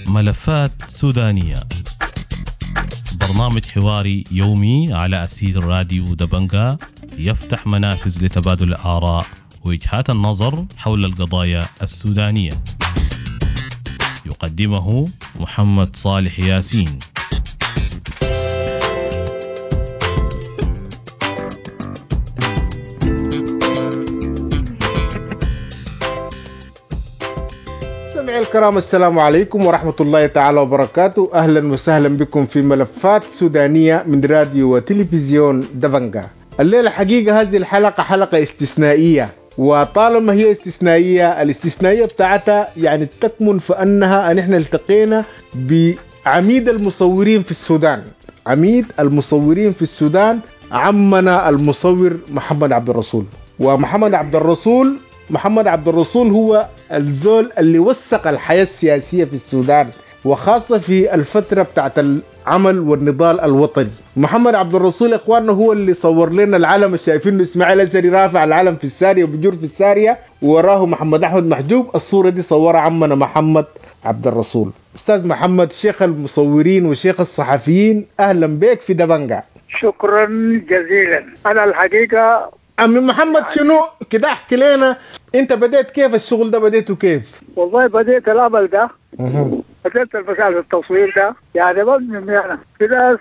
ملفات سودانية، برنامج حواري يومي على أسير راديو دبنجا، يفتح منافذ لتبادل الآراء ووجهات النظر حول القضايا السودانية. يقدمه محمد صالح ياسين. مستمعي الكرام، السلام عليكم ورحمة الله تعالى وبركاته. أهلا وسهلا بكم في ملفات سودانية من راديو وتلفزيون دبنجا. الليلة حقيقة هذه الحلقة حلقة استثنائية، وطالما هي استثنائية الاستثنائية بتاعتها يعني تكمن في أنها نحن التقينا بعميد المصورين في السودان، عميد المصورين في السودان عمنا المصور محمد عبد الرسول. ومحمد عبد الرسول، محمد عبد الرسول هو الزول اللي وثق الحياة السياسية في السودان، وخاصة في الفترة بتاعت العمل والنضال الوطني. محمد عبد الرسول إخواننا هو اللي صور لنا العلم الشايفينه إسماعيل أزهري رافع العلم في السارية وبجر في السارية، ووراه محمد أحمد محجوب. الصورة دي صورها عمنا محمد عبد الرسول. أستاذ محمد، شيخ المصورين وشيخ الصحفيين، أهلا بك في دبنجا. شكرا جزيلا. أنا الحقيقة عمي محمد، شنو كده احكي لنا انت بديت كيف الشغل ده، بديته كيف؟ والله بديت العمل ده، بديت المسألة التصوير ده يعني من انا في ناس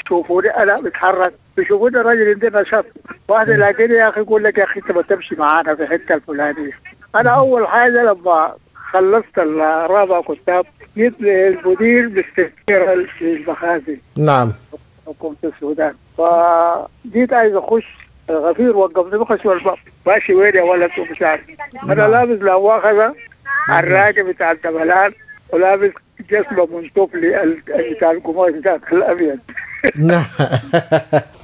يشوفوني انا بتحرك، بيشوفوني الراجل عندنا نشاط، واحد يلاقيني يا اخي يقول لك يا اخي انت ما تمشي معانا في الحته الفلانيه. انا اول حاجه لما خلصت الرابع كتاب جيت للمدير باستثمار في المخازن. نعم. حكومه السودان. فجيت عايز اخش، الغفير وقفني بخش الباب، ماشي وين يا ولد ومش عارف. انا لابس لا مؤاخذه الراجل بتاع الدبلان، ولابس جسمه منتوفلي بتاع القماش ذاك الابيض. نعم.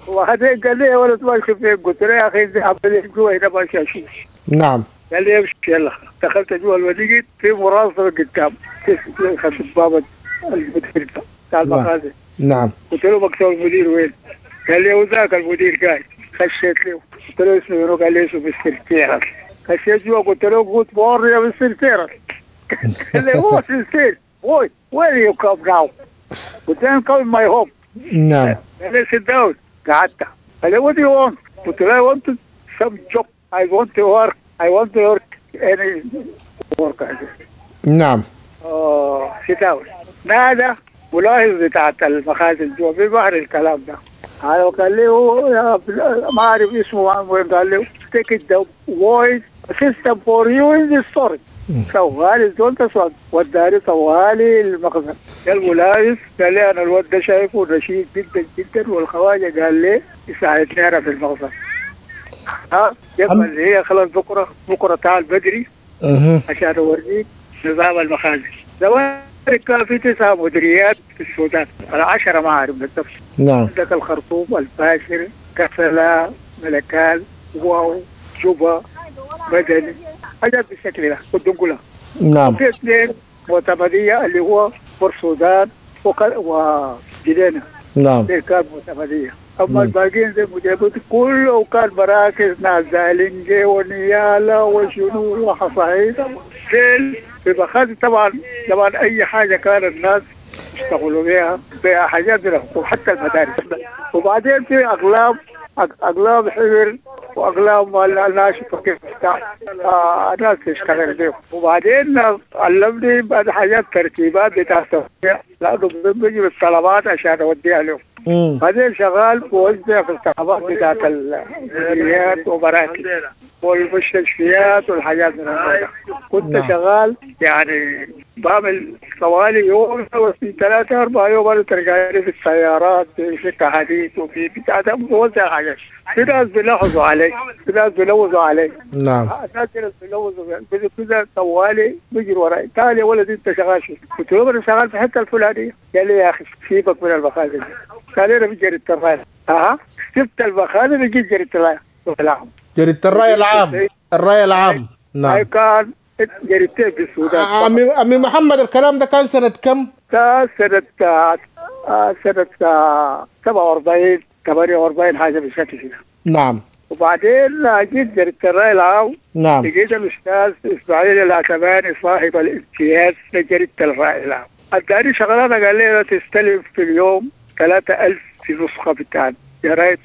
وبعدين قال لي يا ولد ماشي فين؟ قلت له يا اخي عمال جوا هنا ماشي اشوف. نعم. قال لي امشي يلا. دخلت جوا الوليد في مراصفه قدام خشب باب المدير بتاع المخازن. نعم. قلت له مكتب المدير وين؟ قال لي وذاك المدير قاعد. خشيت له قلت له اسمه شنو؟ قال لي اسمه مستر تيرل. خشيت جوا قلت له good morning يا مستر تيرل. قال لي what is this boy where you come now؟ قلت له come my home. نعم. قال لي sit down. قعدت. قال لي what you want؟ قلت له I want some job، I want to work، I want to work any work. نعم. sit down. نادى ملاحظ بتاعت المخازن جوا في بحر الكلام ده. قال لي هو ما اعرف اسمه وين، قال لي take the voice system for you in the storage. طوالي الزول ده وداني طوالي المخزن. الملاحظ قال لي انا الواد ده شايفه نشيط جدا جدا، والخواجه قال لي يساعدني انا في المخزن. ها يبقى اللي هي خلاص بكره بكره تعال بدري عشان اوريك نظام المخازن. زمان كان في 9 مديريات في السودان، 10 ما اعرف بالضبط. نعم. عندك الخرطوم، الفاشر، كسلا، ملكال، واو، جوبا، مدني، حاجات بالشكل ده والدنقلة. نعم. في 2 معتمدية اللي هو بورسودان وجنينة. نعم. دي كان معتمدية. أما الباقيين زي المديريات كله كان مراكز ناس زالنجي ونيالا وشنو وحصايد. في مخازن طبعا طبعا أي حاجة كان الناس يشتغلوا بها حاجات من الحكومة حتى المدارس. وبعدين في أقلام حبر وأقلام ناشفة كيف بتاع ناس تشتغل بيهم. وبعدين علمني بعد حاجات ترتيبات بتاع التوزيع، لأنه بيجي بالطلبات عشان أوديها لهم. بعدين شغال بوزع في الطلبات بتاعت المديريات ومراكز والمستشفيات والحاجات من هذا. كنت شغال يعني بعمل طوالي يوم في 3 4 يوم انا ترجعني في السيارات في سكة حديد وفي بتاع ده بوزع حاجات. في ناس بيلاحظوا علي، في ناس بيلوزوا علي. نعم. ناس بيلوزوا كده طوالي بيجروا وراي. تعال يا ولد انت شغال شو؟ قلت له انا شغال في الحته الفلانيه. قال لي يا اخي سيبك من المخازن. قال لي انا في جريده الراي. اها سبت المخازن جيت جريده الراي العام. جريدة الراي العام. الراي العام. نعم. كان جريدتين في السودان. عمي محمد، الكلام ده كان سنة كم؟ كان سنة 47 48 حاجة بالشكل كده. نعم. وبعدين جيت جريدة الرأي العام. نعم. لقيت الأستاذ إسماعيل العتباني صاحب الامتياز لجريدة الرأي العام، اداني شغلانة، قال لي تستلم في اليوم 3000 في نسخة بتاع جرايد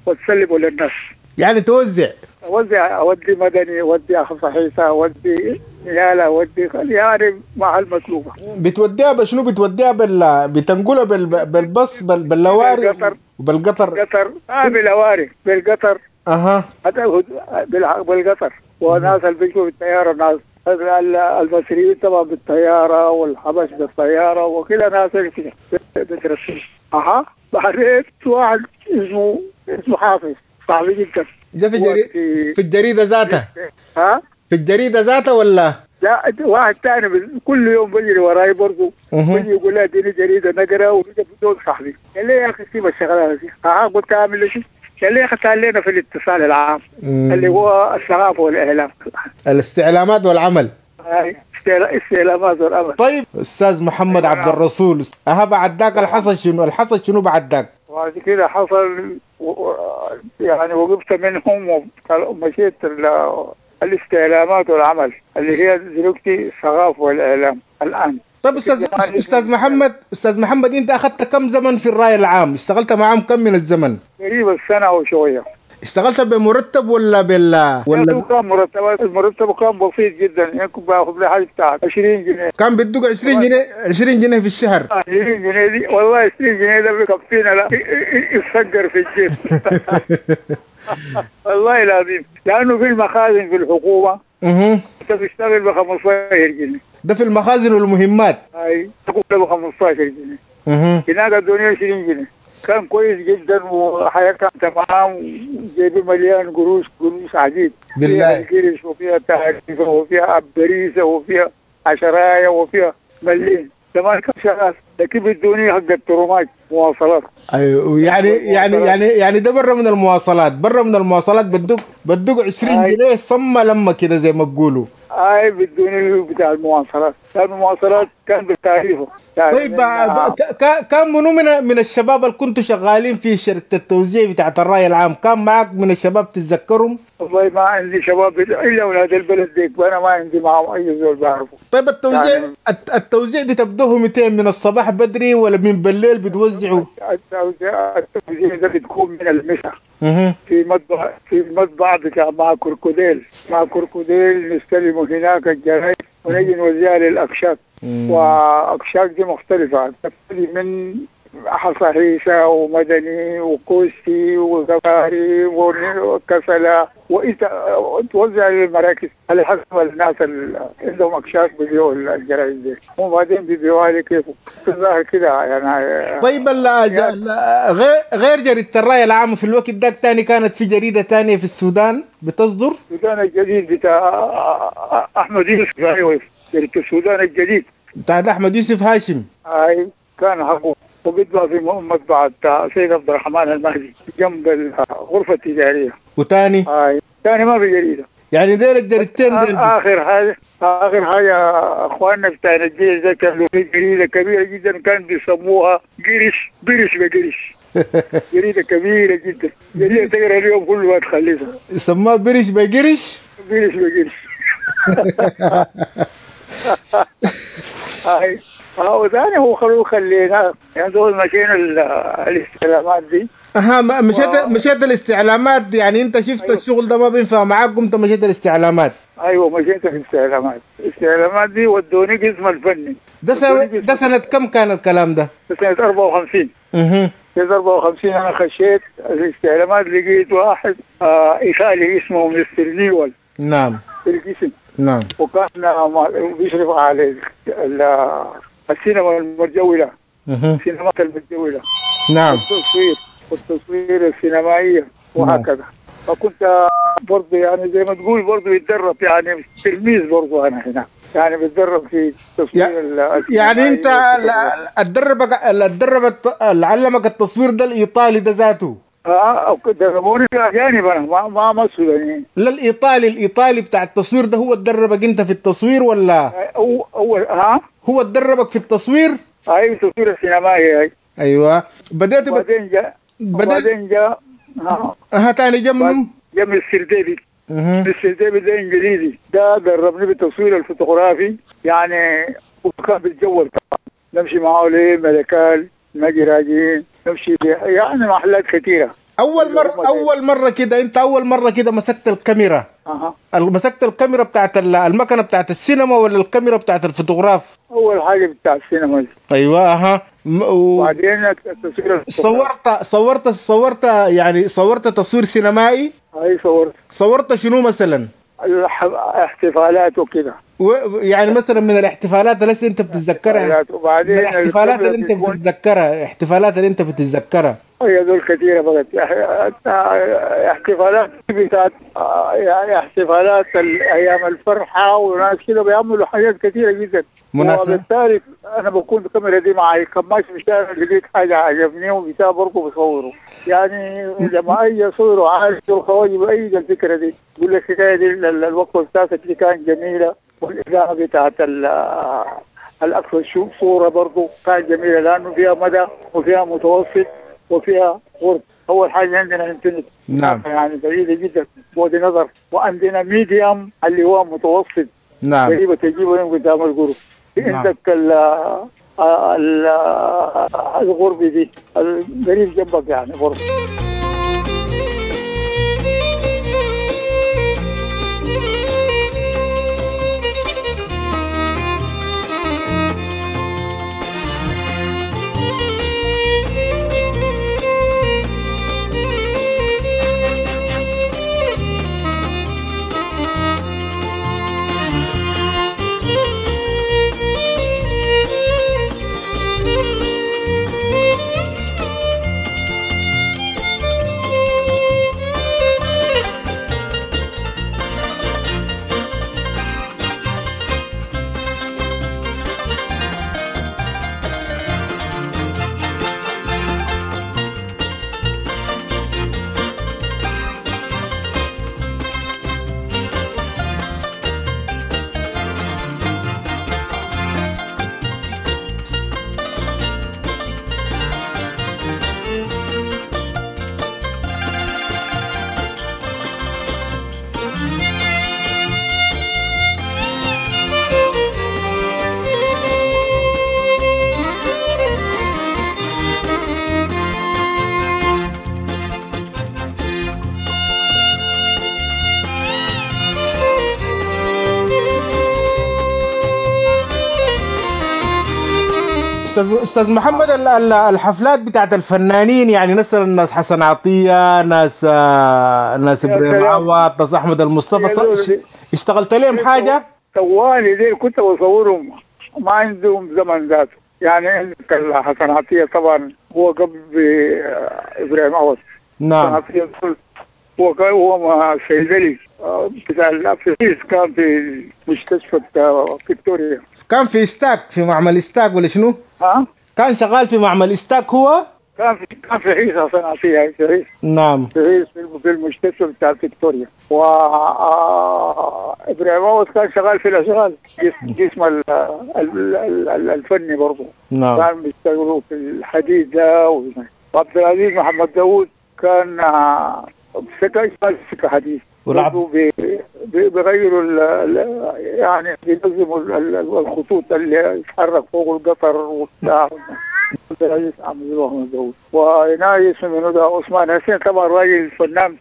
وتسلمه للناس. يعني توزع؟ أوزع، أودي مدني، أودي حصحيصة، أودي نيالة، أودي يعني مع المطلوبة. بتوديها بشنو؟ بتوديها بتنقلها بالبص باللواري؟ بالقطر. بالقطر. قطر، باللواري، بالقطر. اها. بالقطر. وناس اللي بيجوا بالطيارة، ناس المصريين طبعا بالطيارة، والحبش بالطيارة، وكل ناس كده بترسل. اها. بعدين واحد اسمه حافظ، صاحبي جدا. ده في الجريدة ذاتها؟ ها؟ في الجريدة ذاتها ولا؟ لا، واحد ثاني كل يوم بيجري وراي برضه، بيجي يقول لي اديني جريدة نقرا، وبيجي بدون صاحبي. قال لي يا اخي سيب الشغلانة دي. اها. قلت اعمل شيء؟ قال لي يا اخي تعال لنا في الاتصال العام اللي هو الثقافة والاعلام. الاستعلامات والعمل. استعلامات والعمل. طيب استاذ محمد عبد الرسول، اها بعد ذاك الحصل شنو؟ الحصل شنو بعد ذاك؟ بعد كده حصل يعني وقفت منهم ومشيت الاستعلامات والعمل اللي هي دلوقتي الثقافة والإعلام الآن. طيب استاذ محمد، انت اخذت كم زمن في الرأي العام؟ اشتغلت معاهم كم من الزمن؟ تقريبا سنة وشوية. اشتغلت بمرتب ولا ولا كان مرتب؟ المرتب كان بسيط جدا، يعني كنت باخذ لي حاجة بتاع 20 جنيه. كان بيدوك 20 جنيه؟ 20 جنيه في الشهر؟ 20 جنيه دي والله 20 جنيه ده بيكفينا، لا يتسجر في الجيب. والله العظيم، لانه في المخازن في الحكومة انت بتشتغل ب 15 جنيه. ده في المخازن والمهمات. اي ب 15 جنيه. هناك الدنيا 20 جنيه. كان كويس جدا وحياة كانت تمام، وجيبي مليان قروش، قروش عجيب. بالله. فيها قرش وفيها تعريفة وفيها بريسة وفيها عشراية وفيها مليين. زمان كان شغال، لكن بدوني حق الترماج مواصلات. ايوه، يعني يعني يعني يعني ده برا من المواصلات، برا من المواصلات بدوك 20 جنيه صمة لما كده زي ما بقولوا. اي بدوني بتاع المواصلات، كان المواصلات كان بالتعريفه. طيب كان منو من الشباب اللي كنتوا شغالين في شركة التوزيع بتاعت الرأي العام، كان معك من الشباب تتذكرهم؟ والله ما عندي شباب الا اولاد البلد ديك، وانا ما عندي معهم اي زول بعرفه. طيب التوزيع يعني التوزيع بتبدوه 200 من الصباح بدري ولا من بالليل بتوزعوا؟ التوزيع ده بتكون من المساء. في مطبع بتاع مع كركوديل، نستلم هناك الجرايد ونجي نوزعها للأكشاك. وأكشاك دي مختلفة، تبتدي من حصاحيصة ومدني وكوستي وزباري وكسلة، وانت توزع للمراكز على حسب الناس اللي عندهم اكشاك بيبيعوا الجرايد دي، وبعدين بيبيعوها لكيف الظاهر كده يعني. طيب غير جريدة الرأي العام في الوقت ده تاني كانت في جريدة تانية في السودان بتصدر؟ السودان الجديد بتاع أحمد يوسف. أيوه، جريدة السودان الجديد بتاع أحمد يوسف هاشم. أي كان حقه، وبيطبع في مطبعة سيد عبد الرحمن المهدي جنب الغرفة التجارية. وتاني؟ تاني ما في جريدة. يعني ديل الجريدتين ديل. آخر حاجة أخواننا بتاع الجيش ده كان في جريدة كبيرة جدا، كان بيسموها قرش برش بقرش. جريدة كبيرة جدا، جريدة تقرا اليوم كله ما تخلصها. يسموها برش بقرش؟ برش بقرش. هاي وثاني هو خلينا يعني دول مشينا الاستعلامات دي. اها، مشيت الاستعلامات، يعني انت شفت. أيوة. الشغل ده ما بينفع معاك، قمت مشيت الاستعلامات. ايوه مشيت في الاستعلامات، الاستعلامات دي ودوني قسم الفني. ده سنة كم كان الكلام ده؟ سنة 54. سنة 54 انا خشيت الاستعلامات، لقيت واحد ايطالي اسمه مستر نيول. نعم. في القسم. نعم. وكان بيشرف على السينما المتجولة. السينمات المتجولة. نعم. والتصوير السينمائية وهكذا. نعم. فكنت برضه يعني زي ما تقول برضه بيتدرب، يعني تلميذ برضه أنا هنا، يعني بتدرب في التصوير. يعني أنت اللي علمك التصوير ده الإيطالي ده ذاته؟ دربوني اجانب انا، ما السودانيين. لا الايطالي بتاع التصوير ده هو دربك انت في التصوير ولا؟ اول ها؟ هو دربك في التصوير؟ ايوه التصوير السينمائي. اي ايوه. بدأت بعدين جاء ها تاني جا منو؟ جا مستر ديفيد. مستر ديفيد ده انجليزي، ده دربني بالتصوير الفوتوغرافي يعني، وكان بيتجول طبعا، نمشي معاه لملكال، نجي راجعين، نمشي يعني محلات كثيرة. اول مرة كده انت اول مرة كده مسكت الكاميرا. مسكت الكاميرا بتاعت المكنه بتاعت السينما ولا الكاميرا بتاعت الفوتوغراف؟ اول حاجة بتاع السينما. ايوه. وبعدين التصوير. صورت يعني صورت تصوير سينمائي؟ اي صورت. صورت شنو مثلا؟ احتفالات وكده. يعني مثلا من الاحتفالات اللي انت بتتذكرها؟ وبعدين من الاحتفالات اللي انت بتتذكرها، احتفالات اللي انت بتتذكرها. هي دول كثيرة بقت احتفالات بتاعت يعني احتفالات ايام الفرحة، وناس كده بيعملوا حاجات كثيرة جدا. مناسبة. وبالتالي انا بكون الكاميرا دي معي، كم ماشي في الشارع لقيت حاجة عجبني وبتاع برضه بصورة. يعني لما اجي اصوره عارف الخواجه بأيد الفكرة دي، يقول لك الحكاية دي الوقفة بتاعتك دي كانت جميلة، والاضاءة بتاعت الاكثر صوره برضه كانت جميلة، لانه فيها مدى وفيها متوسط وفيها قرب. اول حاجة عندنا infinite. نعم. يعني بعيدة جدا بعد نظر، وعندنا medium اللي هو متوسط. نعم. قريبه تجيبه قدام القرب. نعم. عندك الغرب دي القريب جنبك يعني برضه. استاذ محمد، الحفلات بتاعت الفنانين يعني مثلا ناس حسن عطية، ناس ابراهيم عوض، ناس احمد المصطفى، اشتغلت لهم حاجة؟ طوالي دي كنت بصورهم، ما عندهم زمن ذاته. يعني عندك حسن عطية طبعا هو قبل ابراهيم عوض. نعم. حسن عطية هو صيدلي بتاع الافريز، كان في مستشفى فيكتوريا. كان في استاك، في معمل استاك ولا شنو؟ ها؟ كان شغال في معمل استاك هو؟ كان في حيص حسن عطية، في حيص. نعم. في حيص في المستشفى بتاع فيكتوريا. و ابراهيم عوض كان شغال في الاشغال، جسم الفني برضه. نعم. كان بيشتغلوا في الحديد ده. وعبد العزيز محمد داوود كان سكة حديث ولعب بيغيروا يعني بينظموا الخطوط اللي يتحرك فوق القطر وبتاع. وهنا اسمه منو ده عثمان حسين، طبعا راجل فنان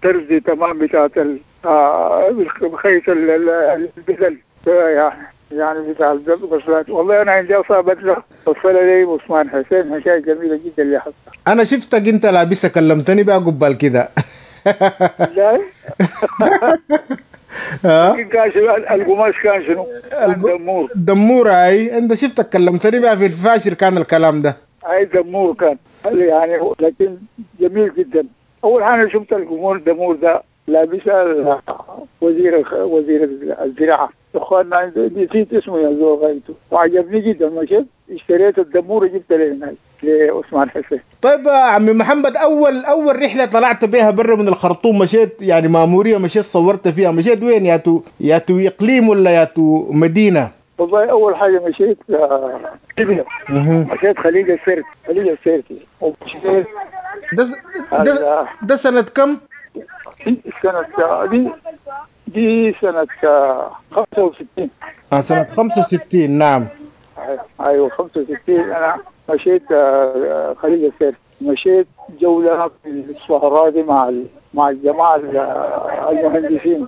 ترزي تمام بتاعت بخيط البدل يعني بتاع الغسلات. والله انا عندي اصلا بدله وصلها لي عثمان حسين، حكاية جميلة جدا اللي حصل. انا شفتك انت لابسه، كلمتني بقى قبال كده. لا كان شنو القماش؟ كان شنو؟ دمور. دمور. اي انت شفتك كلمتني بقى في الفاشر كان الكلام ده. اي دمور كان يعني، لكن جميل جدا. اول حاجة شفت القمور دمور ده لابسها وزير الزراعة، اخواننا نسيت اسمه يا زول غايته، وعجبني جدا. مشيت اشتريت الدمور وجبت له لعثمان حسين. طيب عمي محمد، اول رحله طلعت بها برا من الخرطوم، مشيت يعني ماموريه، مشيت صورت فيها، مشيت وين؟ يا تو اقليم ولا يا تو مدينة؟ والله اول حاجة مشيت ليبيا، مشيت خليج السرت، خليج السرت. ومشيت ده سنة كم؟ سنة دي سنة 65. سنة 65. نعم. ايوه 65 انا مشيت خليج السير، مشيت جولة في الصحراء دي مع الجماعة المهندسين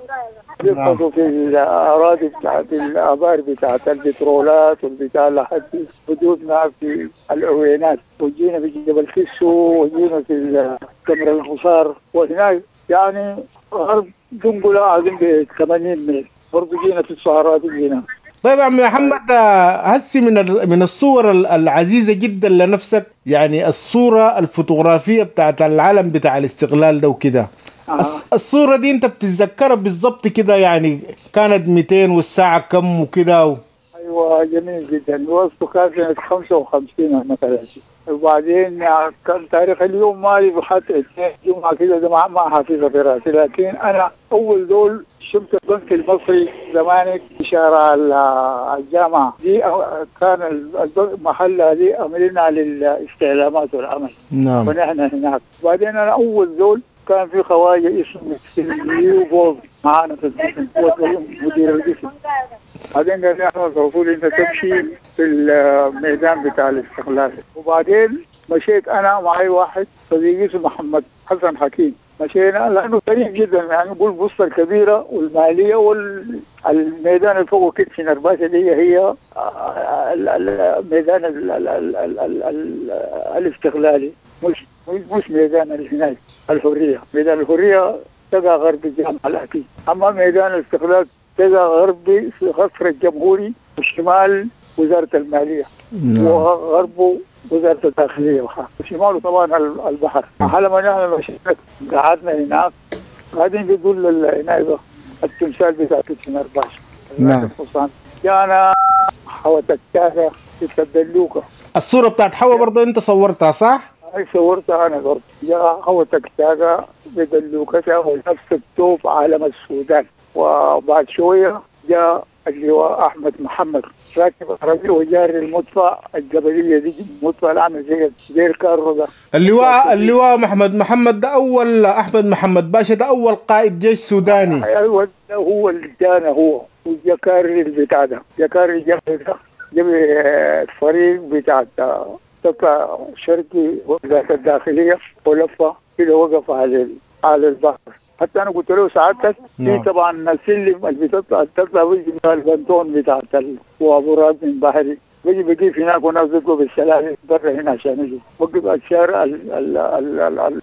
بيبحثوا في الأراضي بتاعت الآبار بتاعت البترولات والبتاع لحد حدودنا في العوينات، وجينا في جبل كسو، وجينا في كمر الحصار، وهناك يعني غرب دنقلة عظيم ب 80 ميل، برضه جينا في الصحراء دي جينا. طيب عم محمد، هسي من الصور العزيزة جدا لنفسك، يعني الصورة الفوتوغرافية بتاعت العلم بتاع الاستقلال ده وكده، الصورة دي انت بتتذكرها بالضبط كده؟ يعني كانت 200 والساعة كم وكده ايوه جميل جدا. وصفه كان سنة 55 مثلا، وبعدين كان تاريخ اليوم مالي حتى جمعة كده ده ما حافظها في راسي، لكن انا اول دول شفت البنك المصري زمانك في شارع الجامعة دي، كان محلها دي عملنا للاستعلامات والعمل. نعم. ونحن هناك. بعدين انا اول دول كان في خواجه اسمه ليوبولد معانا في القسم، هو مدير القسم. بعدين قال لي احمد الرسول انت تمشي في الميدان بتاع الاستقلال. وبعدين مشيت انا معي واحد صديقي اسمه محمد حسن حكيم، مشينا لانه قريب جدا، يعني نقول البسطه الكبيرة والمالية والميدان اللي فوق كيتشنر باشا دي هي الميدان الاستقلالي، مش ميدان هناك الحرية. ميدان الحرية تقع غرب الجامعة الاكيد، اما ميدان الاستقلال تقع غربي في قصر الجمهوري وشمال وزارة المالية. نعم. وغربه وزارة الداخلية وشماله طبعا البحر. لما نحن مشينا قعدنا هناك، قاعدين بيقول هناك التمثال بتاع كيتشنر باشا. نعم. جانا حوت التاسع في الدلوكه. الصورة بتاعت حوا برضه انت صورتها صح؟ هاي صورتها انا برضه. جاء حوت التاسع بدلوكتها ونفس الثوب علم السودان. وبعد شوية جاء اللواء احمد محمد راكب عربية وجاري المدفع الجبلية دي، المدفع العامل زي الكارو ده. اللواء محمد محمد ده اول، احمد محمد باشا ده اول قائد جيش سوداني. ايوه هو اللي جانا، هو وجاكاري البتاع ده، جاكاري الجبل ده جاب الفريق بتاع تطلع شرقي وزارة الداخلية ولفه كده وقف على البحر. حتى انا قلت له سعادتك في طبعا السلم اللي بتطلع بيجي من البنطون بتاعت وابورات من بحري، بيجي بقيف هناك وناس بيطلبوا بالسلالم برا هنا عشان يجوا وقف الشارع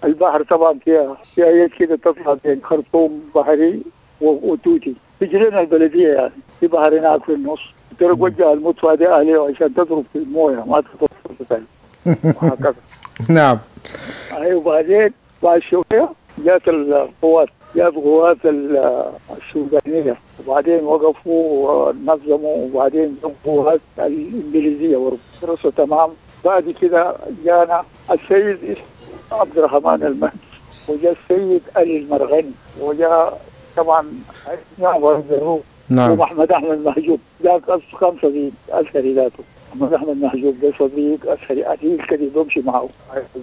البحر طبعا فيها يد كده تطلع بين خرطوم بحري وتوتي، بيجي لنا البلدية يعني في بحر هناك في النص. قلت له وجه المدفع دي عليه عشان تضرب في المويه ما تضرب في الثلج وهكذا. نعم. ايوه. وبعدين بعد شوية جات القوات، جات قوات السودانية، وبعدين وقفوا ونظموا، وبعدين قوات الإنجليزية برضه درسوا تمام. بعد كده جانا السيد عبد الرحمن المهدي، وجاء السيد علي المرغني، وجاء طبعا نعم ومحمد احمد محجوب، جاء كم صديق أزهري ذاته. محمد احمد محجوب ده صديق أزهري عديل كده بمشي معه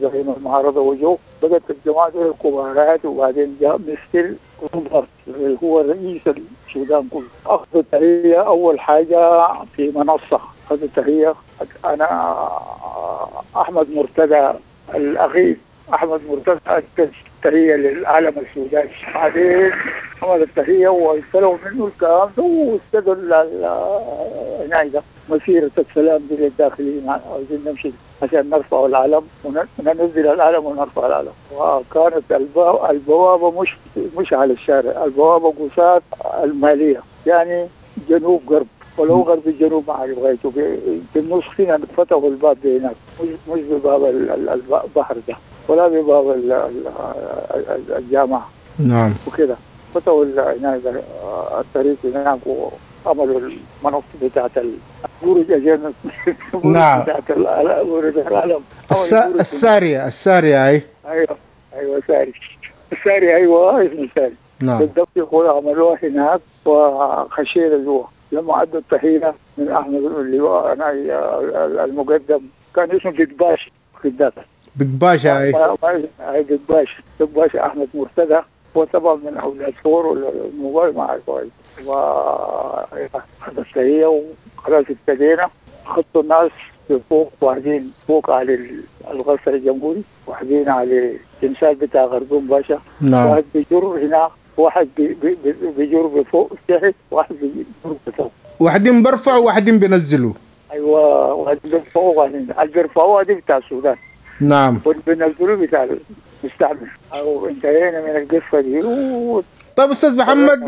زعيم المعارضة وجو بقت الجماعة دي الكبارات. وبعدين جاء مستر روبرت اللي هو رئيس السودان كله، اخذ التحية اول حاجة في منصة، اخذ التحية انا احمد مرتضى الاخير، احمد مرتضى ادى التحية للعالم السوداني. بعدين عمل التحية واستلموا منه الكلام ده واستدوا هناك مسيرة السلام دي للداخلين، عاوزين نمشي عشان نرفع العلم وننزل العلم ونرفع العلم. وكانت البوابة مش على الشارع، البوابة قصاد المالية يعني جنوب غرب، ولو غرب الجنوب ما عارف غايته في النص هنا فتحوا الباب ده هناك، مش بباب البحر ده ولا بباب الجامعة. نعم. وكده فتحوا هناك الطريق هناك وعملوا المنصة بتاعت البرج عشان نعم بتاعت برج العلم السارية، السارية. اي ايوه ايوه ساري، الساري ايوه اسمه ساري. نعم بالضبط. يقول عملوها هناك وخشينا جوا. لما ادوا التحية من احمد اللواء المقدم كان اسمه بيك باشا في الذات، بيك باشا. اي اي بيك باشا، بيك باشا احمد مرتضى هو طبعا من اولاد فور ولا الموبايل ما عارف. و وخلاص ابتدينا، خطوا الناس فوق، واحدين فوق على القصر الجمهوري، واحدين على التمثال بتاع غردون باشا. واحد بيجر هنا، واحد بيجر بفوق تحت، واحد بيجر بفوق. واحدين برفعوا وواحدين بينزلوا. ايوه، واحدين بيرفعوا واحدين اللي بيرفعوها دي بتاع السودان. واللي بينزلوا بتاع المستعمر. او انتهينا من القصة دي طيب استاذ محمد،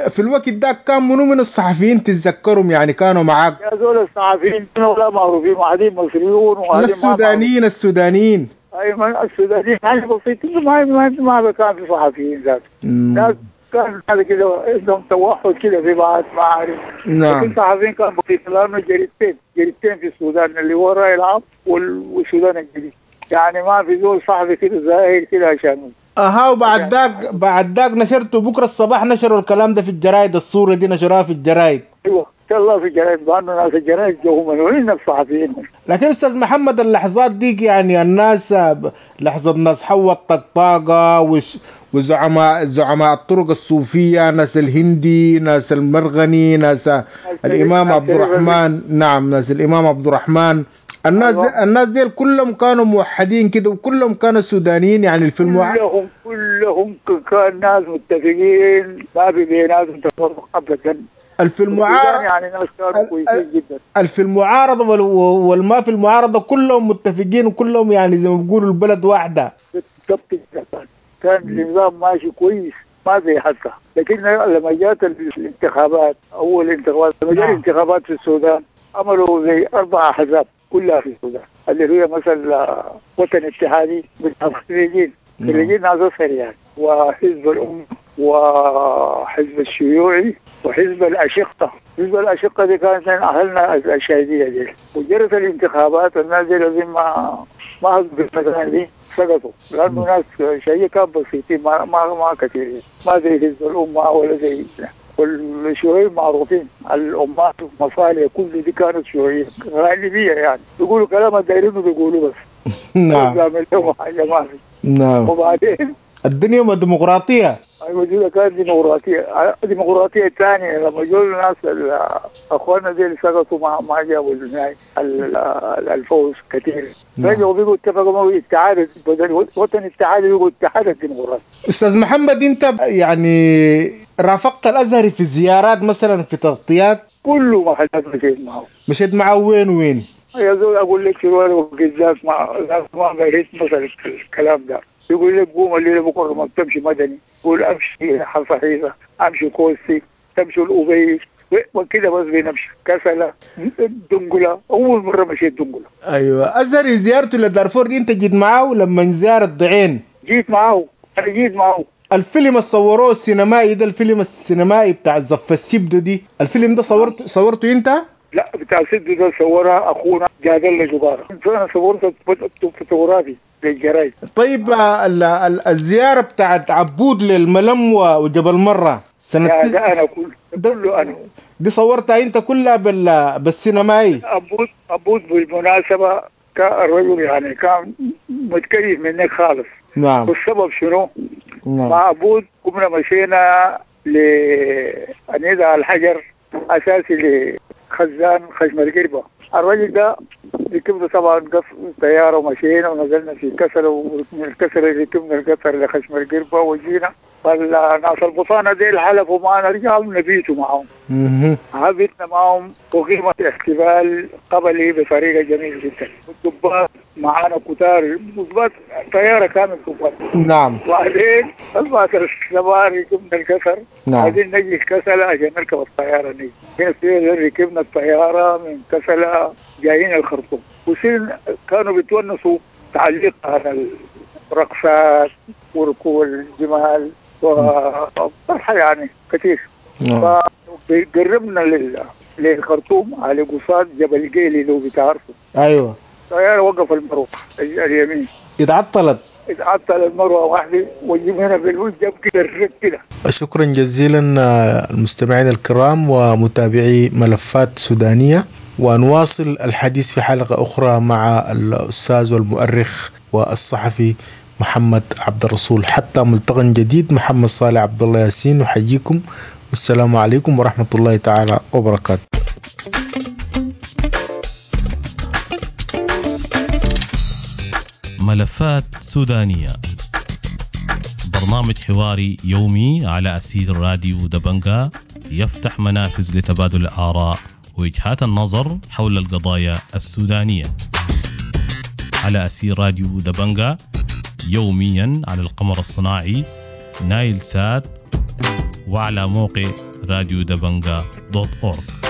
في الوقت ده كان منو من الصحفيين تتذكرهم يعني كانوا معاك؟ يا زول الصحفيين ولا معروفين، واحدين مصريون وواحدين السودانيين. السودانيين ايوه السودانيين حاجة بسيطة، ما كان في صحفيين ذات. ناس كان هذا كده عندهم توحد كده في بعض ما اعرف. لكن الصحفيين كان بسيط لانه جريدتين في السودان، اللي هو الراي العام والسودان الجديد. يعني ما في زول صحفي كده ظاهر كده عشان اها. وبعد ذاك بعد ذاك نشرته بكره الصباح، نشروا الكلام ده في الجرايد، الصورة دي نشروها في الجرايد. ايوه ان شاء الله في الجرايد، بانه ناس الجرايد جو من وين الصحفيين. لكن استاذ محمد اللحظات ديك يعني الناس لحظة ناس حوا الطقطاقه وزعماء الطرق الصوفية، ناس الهندي، ناس المرغني، ناس الامام عبد الرحمن. نعم، ناس الامام عبد الرحمن. الناس ديل كلهم كانوا موحدين كده، وكلهم كانوا سودانيين يعني في كلهم كان ناس متفقين، ما في بيناتهم تفرق ابدا. في المعارضة يعني ناس كانوا كويسين جدا. في المعارضة والما في المعارضة كلهم متفقين، وكلهم يعني زي ما بيقولوا البلد واحدة. بالضبط كده، كان النظام ماشي كويس ما زي حتى. لكن لما جات الانتخابات، اول انتخابات لما جات الانتخابات في السودان، عملوا زي 4 احزاب كلها في السودان، اللي هي مثلا وطن اتحادي بتاع الخريجين، خريجين ناس أزهر يعني، وحزب الأمة وحزب الشيوعي وحزب الأشقة. حزب الأشقة دي كانت من أهلنا الشهيدية دي. وجرت الانتخابات الناس دي لازم ما هزوا المكان دي، سقطوا لأنه ناس شيء كان بسيطين ما كثيرين، ما زي حزب الأمة ولا زي والشيوعيين معروفين. الأمات والمصالح كل دي كانت شيوعية غالبية يعني، بيقولوا كلام دايرينه بيقولوا بس. نعم. حاجة ما في. نعم. وبعدين الدنيا ما ديمقراطية. أيوة دي كانت ديمقراطية. الديمقراطية الثانية لما جو الناس أخواننا دي اللي سقطوا ما جابوا الفوز كثير. رجعوا بيقولوا اتفقوا معه اتحاد بدل وطن اتحاد بيقولوا اتحاد الديمقراطي. أستاذ محمد، أنت يعني رافقت الأزهري في الزيارات مثلا، في تغطيات؟ كله محلات مشيت معه. مشيت معه وين وين؟ يا زول أقول لك شنو بالذات ما بقيت مثلا الكلام ده. يقول لك قوم الليلة بكره ما بتمشي مدني، يقول امشي حصحيصه، امشي كوستي، تمشي الأبيض وكده، بس بنمشي كسله دنقله. اول مرة مشيت دنقله. ايوه. ازهري زيارته لدارفور دي انت جيت معاه لما زار الضعين؟ جيت معاه، انا جيت معاه. الفيلم اللي صوروه السينمائي ده، الفيلم السينمائي بتاع زف السبدو دي، الفيلم ده صورته انت؟ لا، بتاع سبدو ده صورها اخونا جاد الله جبارة. انا صورته فوتوغرافي للجرايد. طيب الزيارة بتاعت عبود للملم وجبل مرة سنة ده انا كله انا دي صورتها انت كلها بالسينمائي. عبود بالمناسبة كان الرجل يعني كان متكيف منك خالص. نعم. والسبب شنو؟ نعم. مع عبود قمنا مشينا لنضع الحجر اساسي لخزان خشم القربة. الرجل ده ركبنا طبعا طيارة ومشينا ونزلنا في كسله، ومن الكسلة ركبنا القطر لخشم القربة وجينا. فالناس البطانة ديل حلفوا معنا، رجعوا نبيتوا معهم. هبتنا معهم وقيمه احتفال قبلي بطريقة جميلة جدا. الضباط معانا كتار، ضباط طيارة كامل ضباط. نعم. وبعدين 4 الصباح ركبنا الكسر. نعم. عايزين نجي الكسلة عشان نركب الطيارة نجي. ركبنا الطيارة من كسلة جايين الخرطوم. وسين كانوا بيتونسوا تعليق على الرقصات وركوب الجمال وفرحة يعني كثير. نعم. فقربنا للخرطوم على قصاد جبل جيلي لو بتعرفه. ايوه. الطيارة وقف المروحة اليمين. اتعطلت. اتعطل المروحة واحدة وجبنا بالوجه كده الرك كده. شكرا جزيلا المستمعين الكرام ومتابعي ملفات سودانية، ونواصل الحديث في حلقة أخرى مع الأستاذ والمؤرخ والصحفي محمد عبد الرسول. حتى ملتقى جديد، محمد صالح عبد الله ياسين نحييكم، والسلام عليكم ورحمة الله تعالى وبركاته. ملفات سودانية، برنامج حواري يومي على أثير راديو دبنجا، يفتح منافذ لتبادل الآراء ووجهات النظر حول القضايا السودانية على أثير راديو دبنجا، يوميا على القمر الصناعي نايل سات وعلى موقع راديو دبنجا .org.